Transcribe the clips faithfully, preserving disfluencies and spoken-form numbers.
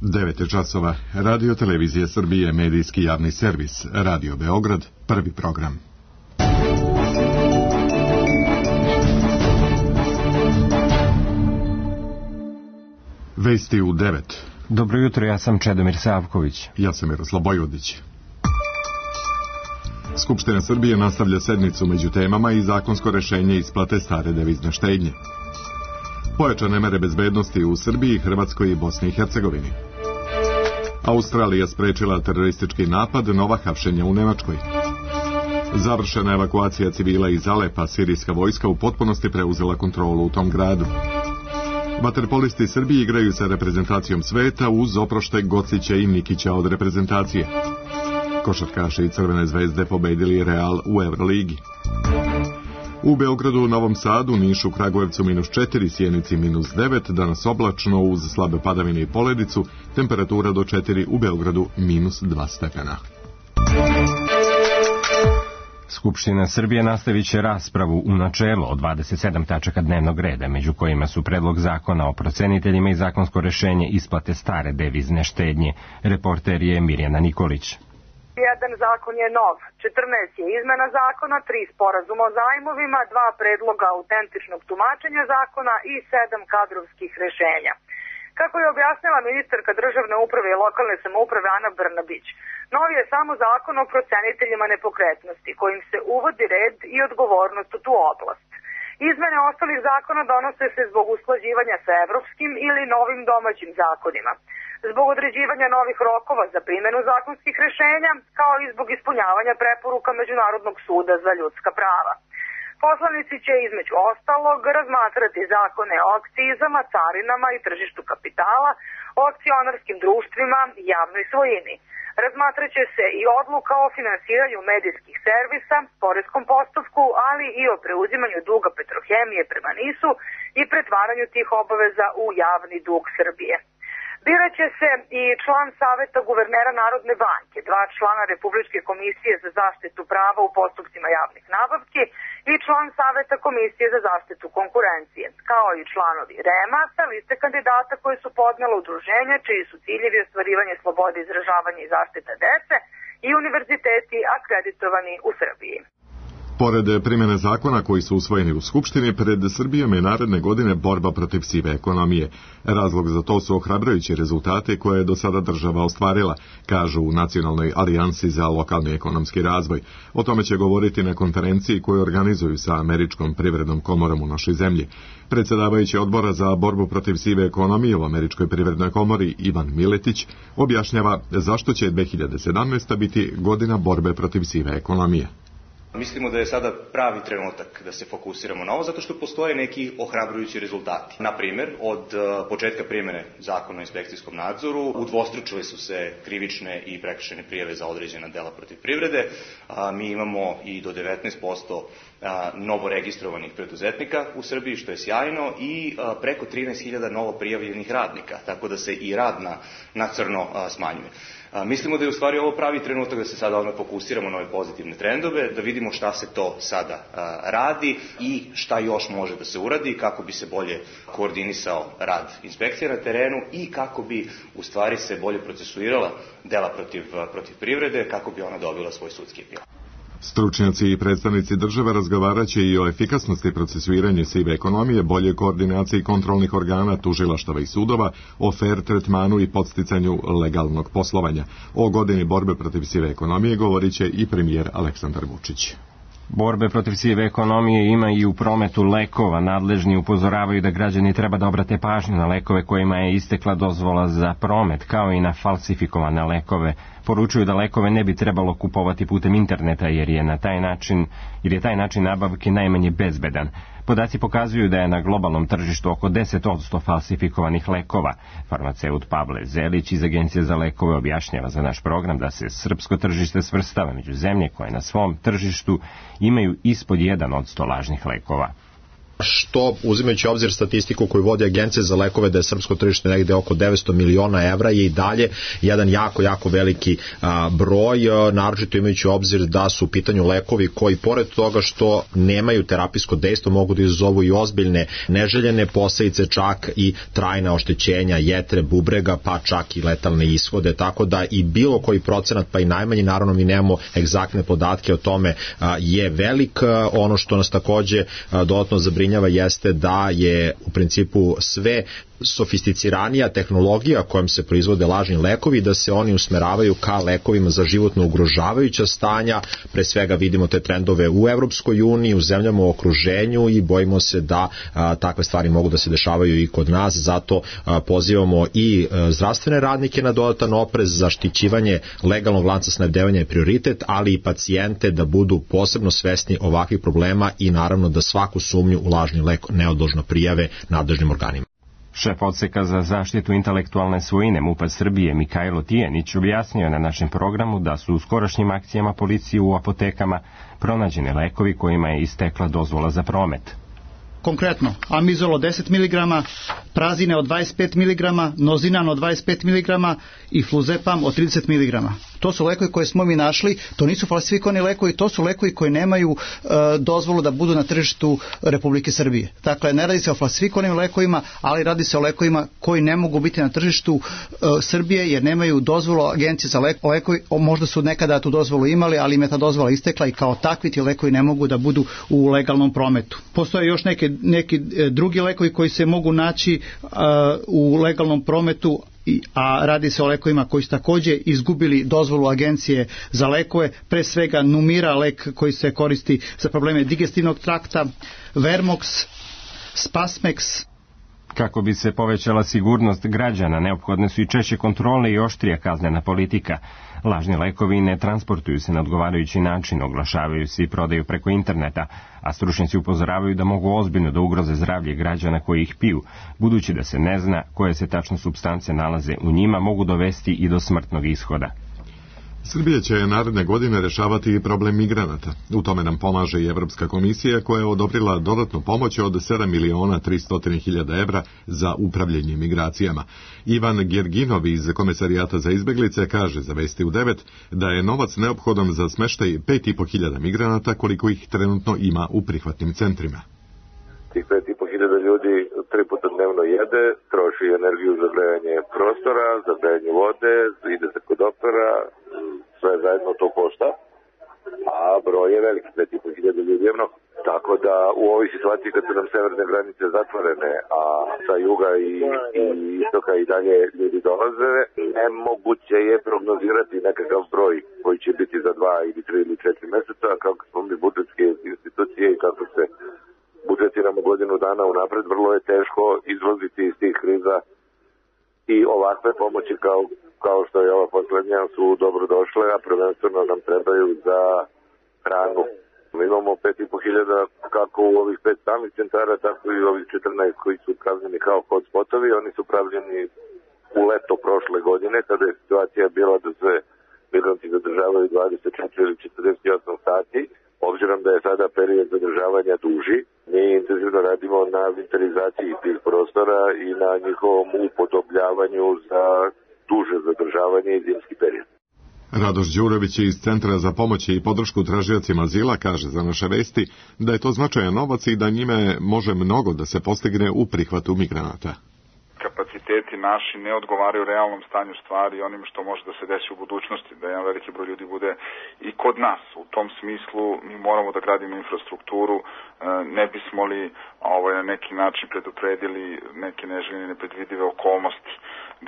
devet je časova. Radio Televizije Srbije, medijski javni servis. Radio Beograd, prvi program. Vesti u devet. Dobro jutro, ja sam Čedomir Savković. Ja sam Miroslav Bojvodić. Skupština Srbije nastavlja sednicu među temama i zakonsko rešenje isplate stare devizne štednje. Pojačane mere bezbednosti u Srbiji, Hrvatskoj i Bosni i Hercegovini. Australija sprečila teroristički napad, nova hapšenja u Nemačkoj. Završena evakuacija civila iz Alepa, sirijska vojska u potpunosti preuzela kontrolu u tom gradu. Vaterpolisti Srbije igraju sa reprezentacijom sveta uz oproštaj Gocića i Nikića od reprezentacije. Košarkaši i Crvene zvezde pobedili Real u Euroligi. U Beogradu, Novom Sadu, Nišu, Kragujevcu minus četiri, Sjenici minus devet, danas oblačno uz slabe padavine i poledicu, temperatura do četiri, u Beogradu minus dva stepena. Skupština Srbije nastavit će raspravu u načelu o dvadeset sedam tačaka dnevnog reda, među kojima su predlog zakona o proceniteljima i zakonsko rešenje isplate stare devizne štednje. Reporter je Mirjana Nikolić. Jedan zakon je nov, četrnaest je izmena zakona, tri sporazuma o zajmovima, dva predloga autentičnog tumačenja zakona i sedam kadrovskih rešenja. Kako je objasnila ministarka državne uprave i lokalne samouprave Ana Brnabić, novi je samo zakon o proceniteljima nepokretnosti, kojim se uvodi red i odgovornost u tu oblast. Izmene ostalih zakona donose se zbog usklađivanja sa evropskim ili novim domaćim zakonima, zbog određivanja novih rokova za primjenu zakonskih rešenja, kao i zbog ispunjavanja preporuka Međunarodnog suda za ljudska prava. Poslanici će između ostalog razmatrati zakone o akcizama, carinama i tržištu kapitala, o akcionarskim društvima i javnoj svojini. Razmatraće se i odluka o finansiranju medijskih servisa, poreskom postupku, ali i o preuzimanju duga Petrohemije prema NIS-u i pretvaranju tih obaveza u javni dug Srbije. Biraće se i član Saveta guvernera Narodne banke, dva člana Republičke komisije za zaštitu prava u postupcima javnih nabavki i član Saveta komisije za zaštitu konkurencije, kao i članovi R E M-a sa liste kandidata koji su podnela udruženja čiji su ciljevi ostvarivanje slobode izražavanja i zaštita dece i univerziteti akreditovani u Srbiji. Pored primjene zakona koji su usvojeni u Skupštini, pred Srbijom je naredne godine borba protiv sive ekonomije. Razlog za to su ohrabrujući rezultate koje je do sada država ostvarila, kažu u Nacionalnoj alijansi za lokalni ekonomski razvoj. O tome će govoriti na konferenciji koju organizuju sa Američkom privrednom komorom u našoj zemlji. Predsjedavajući odbora za borbu protiv sive ekonomije u Američkoj privrednoj komori Ivan Miletić objašnjava zašto će dve hiljade sedamnaesta. biti godina borbe protiv sive ekonomije. Mislimo da je sada pravi trenutak da se fokusiramo na ovo, zato što postoje neki ohrabrujući rezultati. Na primjer, od početka primjene zakona o inspekcijskom nadzoru udvostručile su se krivične i prekršajne prijave za određena dela protiv privrede. Mi imamo i do devetnaest posto novo registrovanih preduzetnika u Srbiji, što je sjajno, i preko trinaest hiljada novo prijavljenih radnika, tako da se i rad na, na crno smanjuje. Mislimo da je u stvari ovo pravi trenutak da se sada odmah fokusiramo na ove pozitivne trendove, da vidimo šta se to sada radi i šta još može da se uradi, kako bi se bolje koordinisao rad inspekcija na terenu i kako bi u stvari se bolje procesuirala dela protiv, protiv privrede, kako bi ona dobila svoj sudski epilog. Stručnjaci i predstavnici države razgovaraće i o efikasnosti procesuiranja sive ekonomije, bolje koordinaciji kontrolnih organa, tužilaštava i sudova, o fer tretmanu i podsticanju legalnog poslovanja. O godini borbe protiv sive ekonomije govorit će i premijer Aleksandar Vučić. Borbe protiv sive ekonomije ima i u prometu lekova. Nadležni upozoravaju da građani treba da obrate pažnju na lekove kojima je istekla dozvola za promet, kao i na falsifikovane lekove. Poručuju da lekove ne bi trebalo kupovati putem interneta jer je na taj način, jer je taj način nabavke najmanje bezbedan. Podaci pokazuju da je na globalnom tržištu oko deset posto falsifikovanih lekova. Farmaceut Pavle Zelić iz Agencije za lekove objašnjava za naš program da se srpsko tržište svrstava među zemlje koje na svom tržištu imaju ispod jedan posto lažnih lekova. što uzimajući obzir statistiku koju vodi Agencija za lekove da je srpsko tržište negde oko devetsto miliona evra je i dalje jedan jako, jako veliki a, broj, a, naročito imajući obzir da su u pitanju lekovi koji pored toga što nemaju terapijsko dejstvo mogu da izazovu i ozbiljne neželjene posledice, čak i trajna oštećenja jetre, bubrega, pa čak i letalne ishode, tako da i bilo koji procenat, pa i najmanji, naravno mi nemamo egzaktne podatke o tome, a, je velik. A, ono što nas takođe a, dodatno zabrinjava jeste da je u principu sve sofisticiranija tehnologija kojom se proizvode lažni lekovi, da se oni usmeravaju ka lekovima za životno ugrožavajuća stanja. Pre svega vidimo te trendove u Evropskoj uniji, u zemljama u okruženju i bojimo se da a, takve stvari mogu da se dešavaju i kod nas. Zato a, pozivamo i a, zdravstvene radnike na dodatan oprez, zaštićivanje legalnog lanca snabdevanja je prioritet, ali i pacijente da budu posebno svesni ovakvih problema i naravno da svaku sumnju u lažni lek neodložno prijave nadležnim organima. Šef odseka za zaštitu intelektualne svojine MUP-a Srbije Mikajlo Tijenić objasnio na našem programu da su u skorašnjim akcijama policije u apotekama pronađene lekovi kojima je istekla dozvola za promet. Konkretno, amizol od deset miligrama, prazine od dvadeset pet miligrama, nozinan od dvadeset pet miligrama i fluzepam od trideset miligrama. To su lekovi koje smo mi našli, to nisu falsifikovani lekovi, to su lekovi koji nemaju e, dozvolu da budu na tržištu Republike Srbije. Dakle, ne radi se o falsifikovanim lekovima, ali radi se o lekovima koji ne mogu biti na tržištu e, Srbije jer nemaju dozvolu Agencije za lek, lekovi. Možda su nekada tu dozvolu imali, ali im je ta dozvola istekla i kao takvi ti lekovi ne mogu da budu u legalnom prometu. Postoje još neke, neki drugi lekovi koji se mogu naći e, u legalnom prometu, a radi se o lekovima koji su takođe izgubili dozvolu Agencije za lekove, pre svega Numira, lek koji se koristi za probleme digestivnog trakta, Vermox, Spasmex. Kako bi se povećala sigurnost građana, neophodne su i češće kontrole i oštrija kaznena politika. Lažni lekovi ne transportuju se na odgovarajući način, oglašavaju se i prodaju preko interneta, a stručnjaci upozoravaju da mogu ozbiljno da ugroze zdravlje građana koji ih piju, budući da se ne zna koje se tačno supstance nalaze u njima, mogu dovesti i do smrtnog ishoda. Srbija će naredne godine rešavati i problem migranata. U tome nam pomaže i Evropska komisija koja je odobrila dodatnu pomoć od sedam miliona tristo hiljada evra za upravljanje migracijama. Ivan Gerginov iz Komesarijata za izbeglice kaže za Vesti u devet da je novac neophodan za smeštaj pet i po hiljada migranata koliko ih trenutno ima u prihvatnim centrima. Tih pet i po hiljada ljudi tri puta dnevno jede, troši energiju za grejanje prostora, za grejanje vode, ide se kod opera, sve zajedno to košta, a broj je veliki, pet i po hiljada ljudi je mnogo. Tako da u ovoj situaciji kad su nam severne granice zatvorene, a sa juga i, i istoka i dalje ljudi dolaze, nemoguće je prognozirati nekakav broj koji će biti za dva ili tri ili četiri meseca, kako smo mi budžetske institucije i kako se budžetiramo godinu dana unapred, vrlo je teško izlaziti iz tih kriza i ovakve pomoći kao, kao što je ova poslednja su dobro došle, a prvenstveno nam trebaju za hranu. Mi imamo pet i po hiljada kako u ovih pet stalnih centara, tako i ovih četrnaest koji su pravljeni kao hotspotovi. Oni su pravljeni u leto prošle godine, kada je situacija bila da se migranti zadržavaju dvadeset četiri ili četrdeset osam sati. Obzirom da je sada period zadržavanja duži, mi intenzivno radimo na inventarizaciji tih prostora i na njihovom upodobljavanju za duže zadržavanje i zimski period. Radoš Đurović iz Centra za pomoć i podršku tražiocima azila kaže za naše vesti da je to značajan novac i da njime može mnogo da se postigne u prihvatu migranata. Kapaciteti naši ne odgovaraju realnom stanju stvari i onim što može da se desi u budućnosti, da jedan veliki broj ljudi bude i kod nas. U tom smislu mi moramo da gradimo infrastrukturu, ne bismo li ovaj, na neki način predupredili neke neželjene nepredvidive okolnosti.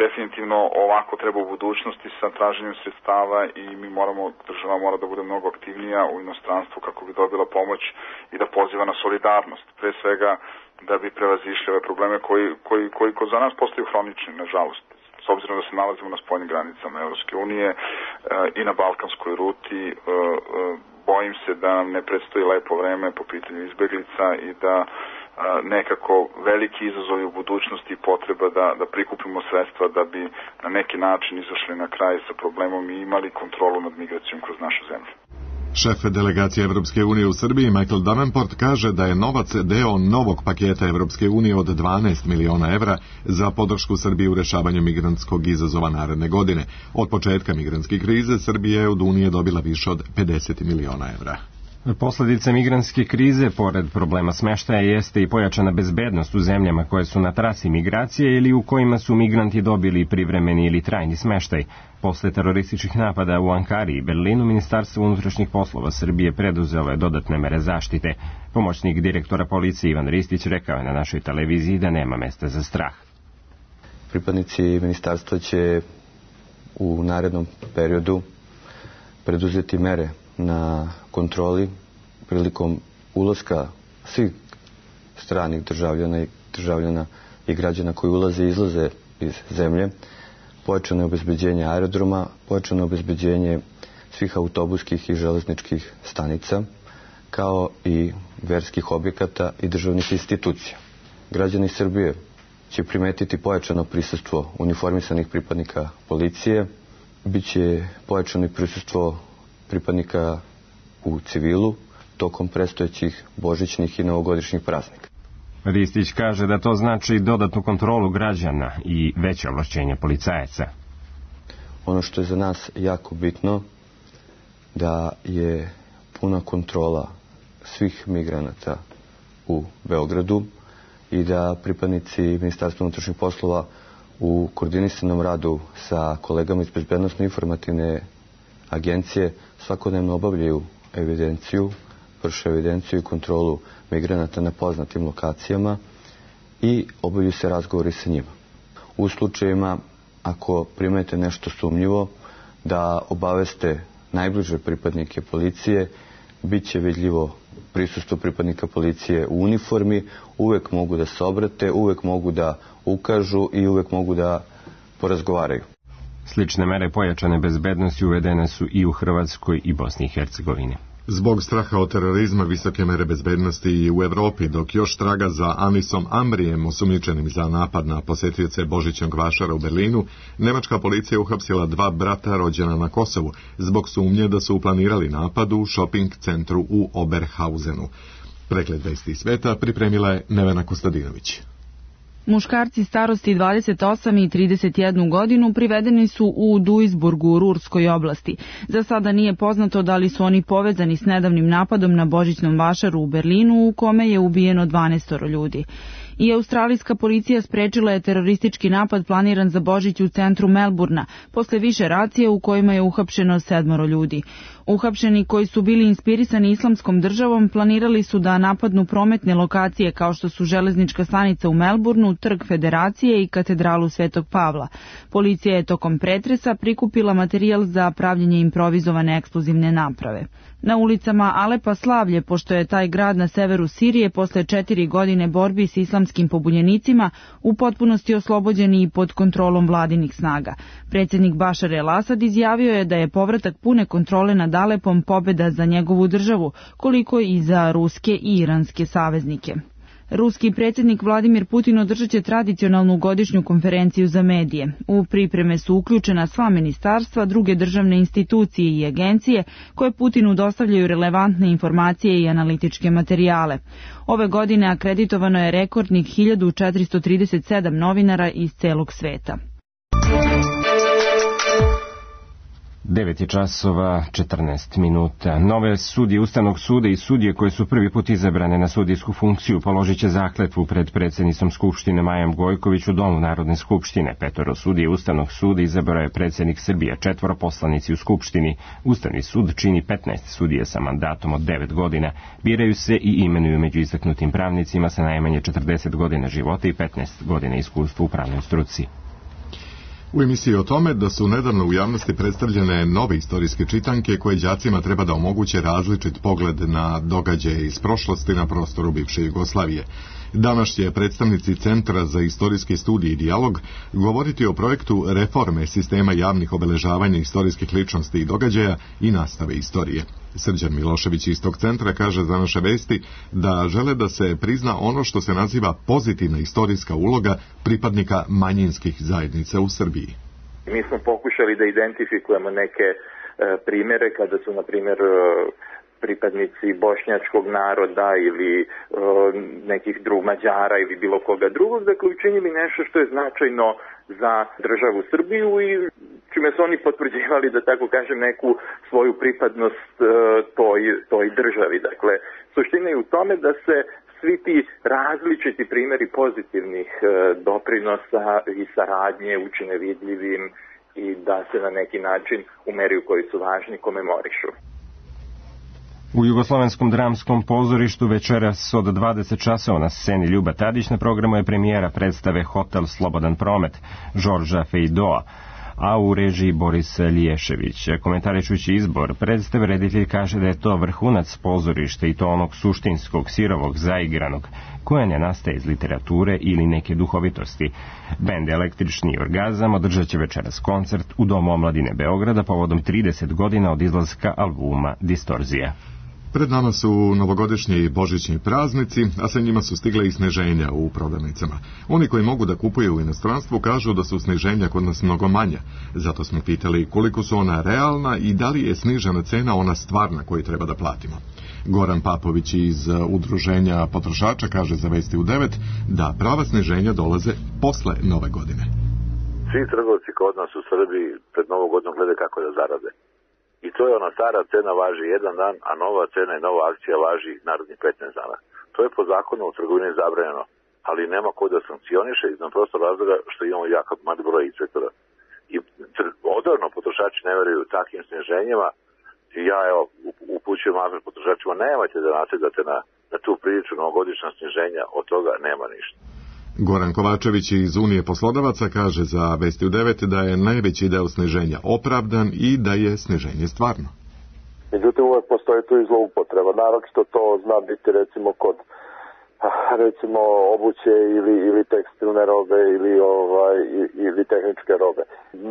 Definitivno ovako treba u budućnosti sa traženjem sredstava i mi moramo, država mora da bude mnogo aktivnija u inostranstvu kako bi dobila pomoć i da poziva na solidarnost. Pre svega da bi prevazišli ove probleme koji, koji, koji kod za nas postaju hronični, nažalost. S obzirom da se nalazimo na spoljnim granicama Evropske unije e, i na balkanskoj ruti, e, e, bojim se da nam ne predstoji lepo vreme po pitanju izbeglica i da e, nekako veliki izazovi u budućnosti i potreba da, da prikupimo sredstva da bi na neki način izašli na kraj sa problemom i imali kontrolu nad migracijom kroz našu zemlju. Šef delegacije Evropske unije u Srbiji Michael Davenport kaže da je novac deo novog paketa Evropske unije od dvanaest miliona evra za podršku Srbiji u rešavanju migrantskog izazova naredne godine. Od početka migrantske krize Srbija je od Unije dobila više od pedeset miliona evra. Posledice migrantske krize, pored problema smeštaja, jeste i pojačana bezbednost u zemljama koje su na trasi migracije ili u kojima su migranti dobili privremeni ili trajni smeštaj. Posle terorističkih napada u Ankari i Berlinu, Ministarstvo unutrašnjih poslova Srbije preduzelo je dodatne mere zaštite. Pomoćnik direktora policije Ivan Ristić rekao je na našoj televiziji da nema mesta za strah. Pripadnici ministarstva će u narednom periodu preduzeti mere na kontroli prilikom ulaska svih stranih državljana i državljana i građana koji ulaze i izlaze iz zemlje, pojačano obezbeđenje aerodroma, pojačano obezbeđenje svih autobuskih i železničkih stanica, kao i verskih objekata i državnih institucija. Građani Srbije će primetiti pojačano prisustvo uniformisanih pripadnika policije, biće pojačano i prisustvo pripadnika u civilu tokom predstojećih božićnih i novogodišnjih praznika. Ristić kaže da to znači dodatnu kontrolu građana i veće ovlašćenje policajaca. Ono što je za nas jako bitno da je puna kontrola svih migranata u Beogradu i da pripadnici Ministarstva unutrašnjih poslova u koordinisanom radu sa kolegama iz Bezbednosno-informativne agencije svakodnevno obavljaju evidenciju, vrše evidenciju i kontrolu migranata na poznatim lokacijama i obavljaju se razgovori sa njima. U slučajevima, ako primete nešto sumnjivo, da obaveste najbliže pripadnike policije, bit će vidljivo prisustvo pripadnika policije u uniformi, uvek mogu da se obrate, uvek mogu da ukažu i uvek mogu da porazgovaraju. Slične mere pojačane bezbednosti uvedene su i u Hrvatskoj i Bosni i Hercegovini. Zbog straha od terorizma visoke mere bezbednosti i u Evropi, dok još traga za Anisom Amrijem, osumnjičenim za napad na posetioce Božićnog vašara u Berlinu, nemačka policija uhapsila dva brata rođena na Kosovu zbog sumnje da su uplanirali napad u šoping centru u Oberhausenu. Pregled vesti sveta pripremila je Nevena Kostadinović. Muškarci starosti dvadeset osam i trideset jednu godinu privedeni su u Duisburgu u Rurskoj oblasti. Za sada nije poznato da li su oni povezani s nedavnim napadom na Božićnom vašaru u Berlinu u kome je ubijeno dvanaest ljudi. I australijska policija sprečila je teroristički napad planiran za Božić u centru Melburna, posle više racije u kojima je uhapšeno sedmoro ljudi. Uhapšeni koji su bili inspirisani islamskom državom planirali su da napadnu prometne lokacije kao što su železnička stanica u Melburnu, Trg Federacije i katedralu Svetog Pavla. Policija je tokom pretresa prikupila materijal za pravljenje improvizovane eksplozivne naprave. Na ulicama Alepa slavlje, pošto je taj grad na severu Sirije posle četiri godine borbi s islamskim pobunjenicima u potpunosti oslobođen i pod kontrolom vladinih snaga. Predsjednik Bašar el-Asad izjavio je da je povratak pune kontrole nad Alepom pobeda za njegovu državu, koliko i za ruske i iranske saveznike. Ruski predsjednik Vladimir Putin održat će tradicionalnu godišnju konferenciju za medije. U pripreme su uključena sva ministarstva, druge državne institucije i agencije koje Putinu dostavljaju relevantne informacije i analitičke materijale. Ove godine akreditovano je rekordnih hiljadu četiristo trideset sedam novinara iz celog sveta. devet je časova četrnaest minuta. Nove sudije Ustavnog suda i sudije koje su prvi put izabrane na sudijsku funkciju položit će zakletvu pred predsjednicom Skupštine Majom Gojković u Domu Narodne skupštine. Petoro sudije Ustavnog suda izabrao je predsjednik Srbije, četvoro poslanici u Skupštini. Ustavni sud čini petnaest sudije sa mandatom od devet godina. Biraju se i imenuju među istaknutim pravnicima sa najmanje četrdeset godina života i petnaest godina iskustva u pravnoj struci. U emisiji o tome da su nedavno u javnosti predstavljene nove istorijske čitanke koje đacima treba da omoguće različit pogled na događaje iz prošlosti na prostoru bivše Jugoslavije. Danas će predstavnici Centra za istorijske studije i dijalog govoriti o projektu reforme sistema javnih obeležavanja istorijskih ličnosti i događaja i nastave istorije. Srđan Milošević iz tog centra kaže za naše vesti da žele da se prizna ono što se naziva pozitivna istorijska uloga pripadnika manjinskih zajednica u Srbiji. Mi smo pokušali da identifikujemo neke primjere kada su, na primjer, pripadnici bošnjačkog naroda ili e, nekih drugih Mađara ili bilo koga drugog, dakle učinili nešto što je značajno za državu Srbiju i čime su oni potvrđivali, da tako kažem, neku svoju pripadnost e, toj, toj državi. Dakle, suština je u tome da se svi ti različiti primjeri pozitivnih e, doprinosa i saradnje učine vidljivim i da se na neki način u meri u kojoj su važni komemorišu. U Jugoslovenskom dramskom pozorištu večeras od dvadeset časova na sceni Ljuba Tadić na programu je premijera predstave Hotel Slobodan promet Žorža Fejdoa, a u režiji Boris Liješević. Komentarišući izbor predstave, reditelj kaže da je to vrhunac pozorišta i to onog suštinskog, sirovog, zaigranog, koje ne nastaje iz literature ili neke duhovitosti. Bend Električni orgazam održat će večeras koncert u Domu omladine Beograda povodom trideset godina od izlaska albuma Distorzija. Pred nama su novogodišnji i božićni praznici, a sa njima su stigle i sniženja u prodavnicama. Oni koji mogu da kupuju u inostranstvu kažu da su sniženja kod nas mnogo manja. Zato smo pitali koliko su ona realna i da li je snižena cena ona stvarna koju treba da platimo. Goran Papović iz Udruženja potrošača kaže za Vesti u devet da prava sniženja dolaze posle nove godine. Svi trgovci kod nas u Srbiji pred novu godinu glede kako da zarade. I to je ona stara cena važi jedan dan, a nova cena i nova akcija važi narednih petnaest dana. To je po zakonu u trgovini zabranjeno, ali nema ko da sankcioniše iz prostor razloga što imamo jako mali broj inspektora. I odavno potrošači ne veruju takvim sniženjima i ja evo upućujem apel potrošačima, nemojte da nasedate na, na tu priču novogodišnja sniženja, od toga nema ništa. Goran Kovačević iz Unije poslodavaca kaže za Vesti u devet da je najveći deo sniženja opravdan i da je sniženje stvarno. Međutim, uvek postoji tu i zloupotreba. Naročito to zna biti recimo kod recimo obuće ili, ili tekstilne robe ili, ovaj, ili tehničke robe.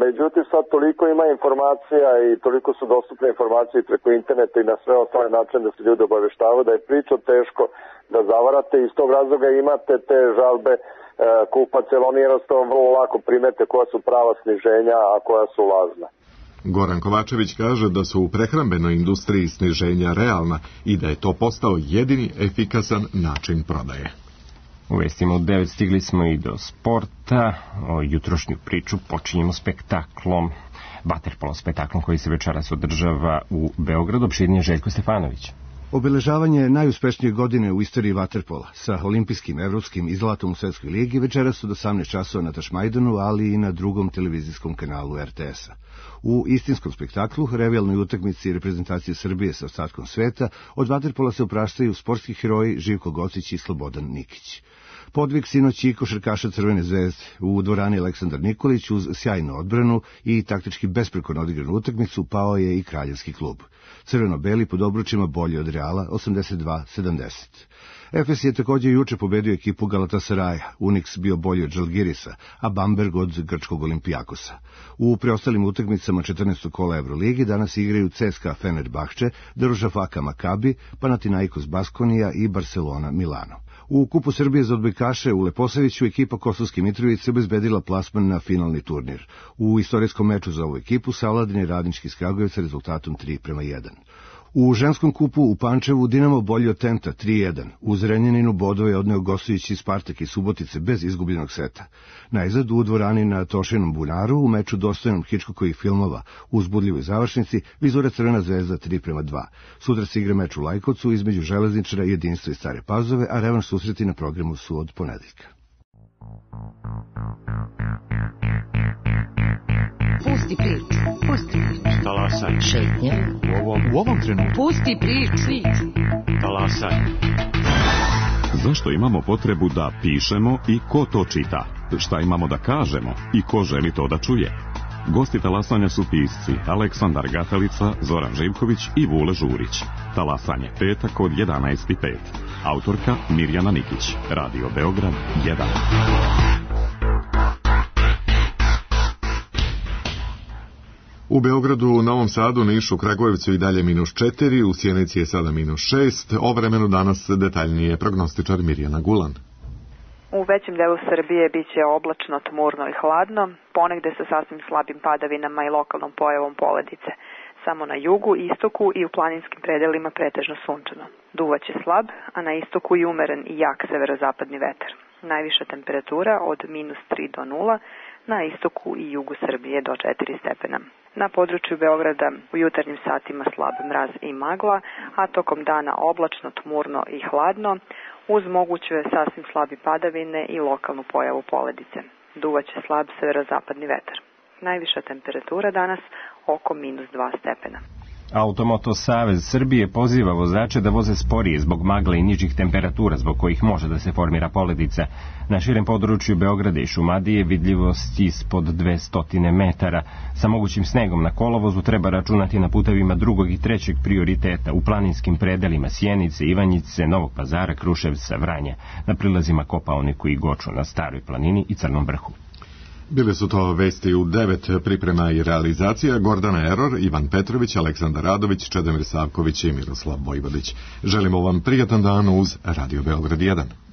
Međutim, sad toliko ima informacija i toliko su dostupne informacije preko interneta i na sve ostale načine da se ljudi obaveštavaju da je priča teško da zavarate i iz tog razloga imate te žalbe e, kupaca, jer oni jednostavno vrlo lako primete koja su prava sniženja, a koja su lažna. Goran Kovačević kaže da su u prehrambenoj industriji sniženja realna i da je to postao jedini efikasan način prodaje. U vestima u devet stigli smo i do sporta. O jutrošnju priču počinjemo spektaklom, vaterpolo spektaklom koji se večeras održava u Beogradu. Opširnije Željko Stefanović. Obeležavanje najuspešnije godine u istoriji vaterpola sa olimpijskim, evropskim i zlatom u Svetskoj ligi večeras od osamnaest časova na Tašmajdanu, ali i na drugom televizijskom kanalu er te es a. U istinskom spektaklu, revijalnoj utakmici reprezentacije Srbije sa ostatkom sveta, od vaterpola se opraštaju sportski heroji Živko Gocić i Slobodan Nikić. Podvig sinoć i košarkaša Crvene zvezde u dvorani Aleksandar Nikolić uz sjajnu odbranu i taktički besprekorno odigranu utakmicu pao je i kraljevski klub. Crveno-beli pod obručima bolje od Reala osamdeset dva sedamdeset. Efes je također juče pobedio ekipu Galatasaraja, Unix bio bolji od Žalgirisa, a Bamberg od grčkog Olimpijakosa. U preostalim utakmicama četrnaestog kola Euroligi danas igraju C S K A Fenerbahče, Darušafaka Makabi, Panathinaikos Baskonija i Barcelona Milano. U Kupu Srbije za odbojkaše u Leposaviću ekipa Kosovske Mitrovice obezbedila plasman na finalni turnir. U istorijskom meču za ovu ekipu savladan je Radnički iz Kragujevca rezultatom tri prema jedan. U ženskom kupu u Pančevu Dinamo bolji od Tenta tri jedan. U Zrenjaninu bodove je odneo gostujući Spartak i Subotice bez izgubljenog seta. Najzad u dvorani na Tošinom bunaru u meču dostojnom Hičkokovih filmova u uzbudljivoj završnici Vizura Crvena zvezda tri prema dva. Sutra se igra meč u Lajkovcu između Železničara, Jedinstva i Stare Pazove, a revanš susreti na programu su od ponedeljka. Pusti priču, pusti priču. Talasaj. Šetnja. U ovom, u ovom trenutku. Pusti priču. Talasaj. Zašto imamo potrebu da pišemo i ko to čita? Šta imamo da kažemo i ko želi to da čuje? Gosti talasanja su pisci Aleksandar Gatalica, Zoran Živković i Vule Žurić. Talasanje petak od jedanaest i pet. Autorka Mirjana Nikić. Radio Beograd jedan. U Beogradu, Novom Sadu, Nišu, Kragujevcu i dalje minus četiri, u Sjenici je sada minus šest, o vremenu danas detaljnije prognostičar Mirjana Gulan. U većem delu Srbije biće oblačno, tmurno i hladno, ponegde sa sasvim slabim padavinama i lokalnom pojavom poledice. Samo na jugu, istoku i u planinskim predelima pretežno sunčano. Duvaće slab, a na istoku i umeren i jak severozapadni vetar. Najviša temperatura od minus tri do nula, na istoku i jugu Srbije do četiri stepena. Na području Beograda u jutarnjim satima slab mraz i magla, a tokom dana oblačno, tmurno i hladno, uz moguće sasvim slabi padavine i lokalnu pojavu poledice. Duvaće slab severozapadni vetar. Najviša temperatura danas oko minus dva stepena. Automoto Savez Srbije poziva vozače da voze sporije zbog magle i nižih temperatura zbog kojih može da se formira poledica. Na širem području Beograda i Šumadije vidljivost ispod dvesta metara. Sa mogućim snegom na kolovozu treba računati na putevima drugog i trećeg prioriteta u planinskim predelima Sjenice, Ivanjice, Novog Pazara, Kruševca, Vranja, na prilazima Kopaoniku i Goču, na Staroj planini i Crnom vrhu. Bile su to vesti u devet, priprema i realizacija Gordana Eror, Ivan Petrović, Aleksandar Radović, Čedomir Savković i Miroslav Vojvodić. Želimo vam prijatan dan uz Radio Beograd jedan.